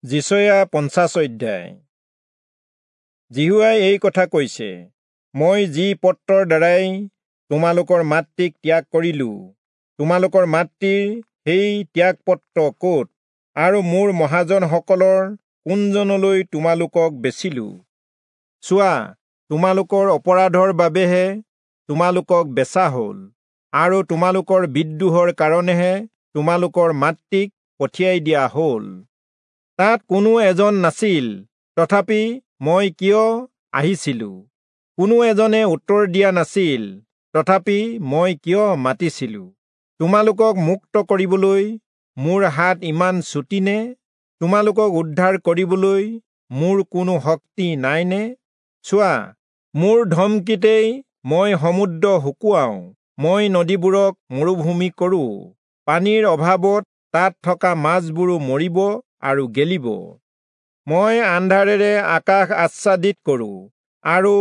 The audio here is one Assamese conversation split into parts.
যিচয়া 50 অধ্যায়। যিহোৱাই এই কথা কৈছে, মই যি পত্ৰৰ দ্বাৰাই তোমালোকৰ মাতৃক ত্যাগ কৰিলো, তোমালোকৰ মাতৃৰ সেই ত্যাগপত্ৰ ক'ত, আৰু মোৰ মহাজনসকলৰ কোনজনলৈ তোমালোকক বেচিলো? চোৱা, তোমালোকৰ অপৰাধৰ বাবেহে তোমালোকক বেচা হ'ল, আৰু তোমালোকৰ বিদ্ৰোহৰ কাৰণেহে তোমালোকৰ মাতৃক পঠিয়াই দিয়া হ'ল। তাত কোনো এজন নাছিল, তথাপি মই কিয় আহিছিলো? কোনো এজনে উত্তৰ দিয়া নাছিল, তথাপি মই কিয় মাতিছিলো? তোমালোকক মুক্ত কৰিবলৈ মোৰ হাত ইমান চুটি নে? তোমালোকক উদ্ধাৰ কৰিবলৈ মোৰ কোনো শক্তি নাইনে? চোৱা, মোৰ ধমকিতেই মই সমুদ্ৰ শুকুৱাওঁ, মই নদীবোৰক মৰুভূমি কৰোঁ। পানীৰ অভাৱত তাত থকা মাছবোৰো মৰিব আৰু গেলিব। মই আন্ধাৰেৰে আকাশ আচ্ছাদিত কৰোঁ আৰু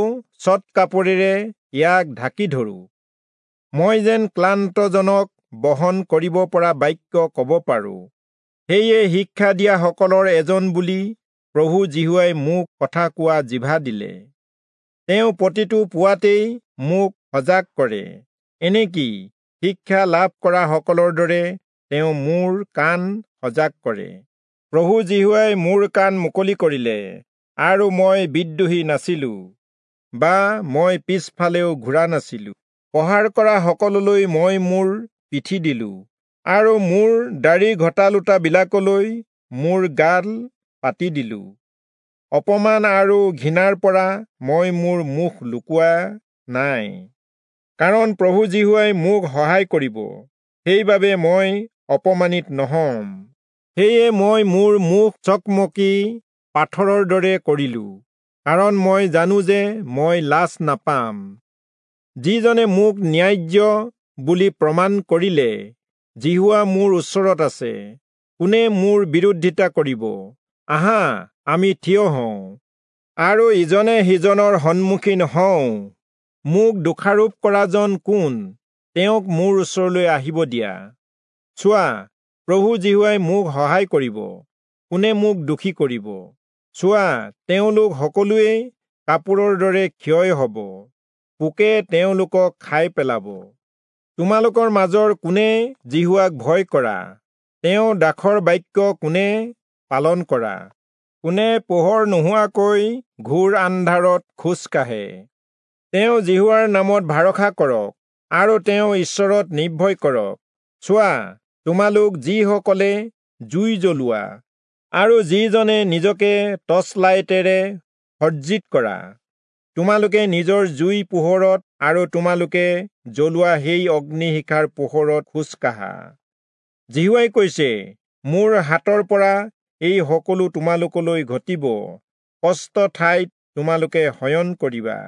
চট কাপোৰেৰে ইয়াক ঢাকি ধৰোঁ। মই যেন ক্লান্তজনক বহন কৰিব পৰা বাক্য ক'ব পাৰোঁ। সেয়ে শিক্ষা দিয়াসকলৰ এজন বুলি প্ৰভু যিহোৱাই মোক কথা কোৱা জিভা দিলে। তেওঁ প্ৰতিটো পুৱাতেই মোক সজাগ কৰে, এনেকি শিক্ষা লাভ কৰা সকলৰ দৰে তেওঁ মোৰ কাণ সজাগ কৰে। প্ৰভু যিহোৱাই মোৰ কাণ মুকলি কৰিলে, আৰু মই বিদ্ৰোহী নাছিলো বা মই পিছফালেও ঘূৰা নাছিলো। প্ৰহাৰ কৰা সকললৈ মই মোৰ পিঠি দিলো, আৰু মোৰ দাড়ি ঘটালোতাবিলাকলৈ মোৰ গাল পাতি দিলো। অপমান আৰু ঘৃণাৰ পৰা মই মোৰ মুখ লুকুওৱা নাই, কাৰণ প্ৰভু যিহোৱাই মোক সহায় কৰিব, সেইবাবে মই অপমানিত নহম। সেয়ে মই মোৰ মুখ চকমকি পাথৰৰ দৰে কৰিলো, কাৰণ মই জানো যে মই লাজ নাপাম। যিজনে মোক ন্যায্য বুলি প্ৰমাণ কৰিলে, যিহোৱা মোৰ ওচৰত আছে, কোনে মোৰ বিৰোধিতা কৰিব? আহা, আমি থিয় হওঁ আৰু ইজনে সিজনৰ সন্মুখীন হওঁ। মোক দোষাৰোপ কৰাজন কোন? তেওঁক মোৰ ওচৰলৈ আহিব দিয়া। চোৱা, প্ৰভু যিহোৱাই মোক সহায় কৰিব, কোনে মোক দোষী কৰিব? চোৱা, তেওঁলোক সকলোৱেই কাপোৰৰ দৰে ক্ষয় হ'ব, পোকে তেওঁলোকক খাই পেলাব। তোমালোকৰ মাজৰ কোনে যিহোৱাক ভয় কৰা? তেওঁ দাসৰ বাক্য কোনে পালন কৰা? কোনে পোহৰ নোহোৱাকৈ ঘোৰ আন্ধাৰত খোজ কাঢ়ে? তেওঁ যিহোৱাৰ নামত ভৰসা কৰক আৰু তেওঁ ঈশ্বৰত নিৰ্ভয় কৰক। চোৱা, তোমালোক যিসকলে জুই জ্বলোৱা আৰু যিজনে নিজকে টৰ্চলাইটেৰে সজ্জিত কৰা, তোমালোকে নিজৰ জুই পোহৰত আৰু তোমালোকে জ্বলোৱা সেই অগ্নিশিখাৰ পোহৰত খোজ কাঢ়া। যিহোৱাই কৈছে, মোৰ হাতৰ পৰা এই সকলো তোমালোকলৈ ঘটিব, কষ্ট ঠাইত তোমালোকে শয়ন কৰিবা।